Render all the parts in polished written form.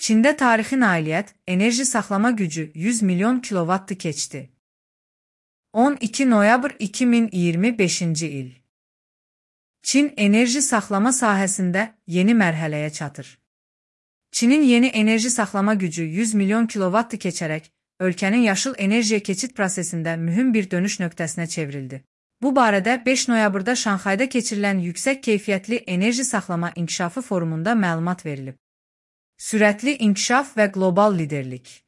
Çində tarixi nailiyyət, enerji saxlama gücü 100 milyon kilovattı keçdi. 12 noyabr 2025-ci il. Çin enerji saxlama sahəsində yeni mərhələyə çatır. Çinin yeni enerji saxlama gücü 100 milyon kilovattı keçərək, ölkənin yaşıl enerjiyə keçid prosesində mühüm bir dönüş nöqtəsinə çevrildi. Bu barədə 5 noyabrda Şanxayda keçirilən Yüksək Keyfiyyətli Enerji Saxlama İnkişafı Forumunda məlumat verilib. Sürətli inkişaf və qlobal liderlik.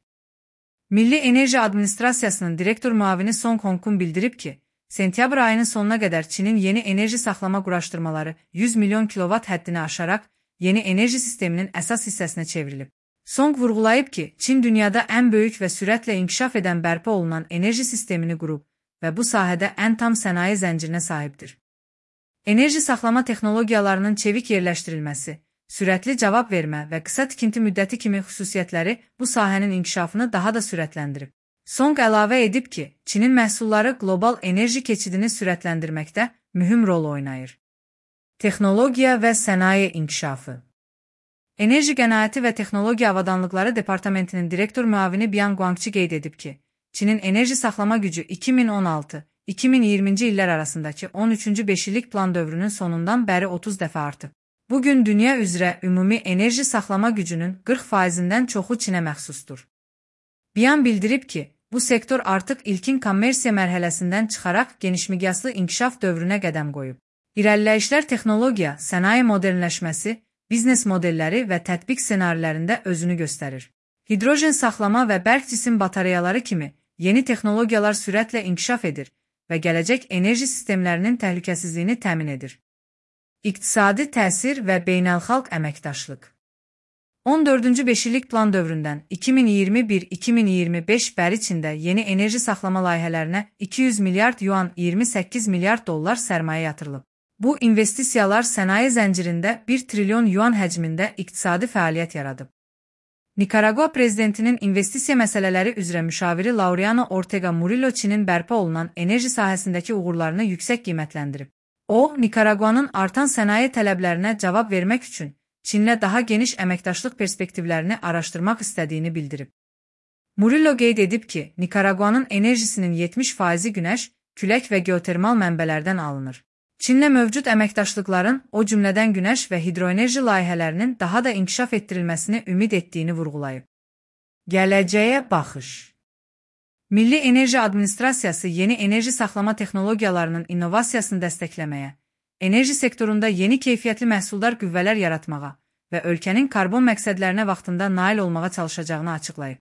Milli Enerji Administrasiyasının direktor müavini Song Hongkun bildirib ki, sentyabr ayının sonuna qədər Çinin yeni enerji saxlama quraşdırmaları 100 milyon kilovat həddini aşaraq, yeni enerji sisteminin əsas hissəsinə çevrilib. Song vurğulayıb ki, Çin dünyada ən böyük və sürətlə inkişaf edən bərpa olunan enerji sistemini qurub və bu sahədə ən tam sənaye zəncirinə sahibdir. Enerji saxlama texnologiyalarının çevik yerləşdirilməsi, sürətli cavab vermə və qısa tikinti müddəti kimi xüsusiyyətləri bu sahənin inkişafını daha da sürətləndirib. Song əlavə edib ki, Çinin məhsulları qlobal enerji keçidini sürətləndirməkdə mühüm rol oynayır. Texnologiya və sənaye inkişafı. Enerji Qənaəti və Texnologiya Avadanlıqları Departamentinin direktor müavini Bian Guangqi qeyd edib ki, Çinin enerji saxlama gücü 2016-2020-ci illər arasındakı 13-cü beşillik plan dövrünün sonundan bəri 30 dəfə artıb. Bugün dünya üzrə ümumi enerji saxlama gücünün 40%-dən çoxu Çinə məxsusdur. Bian bildirib ki, bu sektor artıq ilkin kommersiya mərhələsindən çıxaraq genişmiqyaslı inkişaf dövrünə qədəm qoyub. İrəliləyişlər texnologiya, sənaye modernləşməsi, biznes modelləri və tətbiq ssenarilərində özünü göstərir. Hidrojen saxlama və bərk cisim batareyaları kimi yeni texnologiyalar sürətlə inkişaf edir və gələcək enerji sistemlərinin təhlükəsizliyini təmin edir. İqtisadi təsir və beynəlxalq əməkdaşlıq. 14-cü beşillik plan dövründən 2021-2025 bəri Çində yeni enerji saxlama layihələrinə 200 milyard yuan 28 milyard dollar sərmayə yatırılıb. Bu investisiyalar sənaye zəncirində 1 trilyon yuan həcmində iqtisadi fəaliyyət yaradıb. Nikaragua prezidentinin investisiya məsələləri üzrə müşaviri Laureano Ortega Murillo Çinin bərpa olunan enerji sahəsindəki uğurlarını yüksək qiymətləndirib. O, Nikaraguanın artan sənaye tələblərinə cavab vermək üçün Çinlə daha geniş əməkdaşlıq perspektivlərini araşdırmaq istədiyini bildirib. Murillo qeyd edib ki, Nikaraguanın enerjisinin 70%-i günəş, külək və geotermal mənbələrdən alınır. Çinlə mövcud əməkdaşlıqların, o cümlədən günəş və hidroenerji layihələrinin daha da inkişaf etdirilməsini ümid etdiyini vurğulayıb. Gələcəyə baxış. Milli Enerji Administrasiyası yeni enerji saxlama texnologiyalarının innovasiyasını dəstəkləməyə, enerji sektorunda yeni keyfiyyətli məhsuldar qüvvələr yaratmağa və ölkənin karbon məqsədlərinə vaxtında nail olmağa çalışacağını açıqlayıb.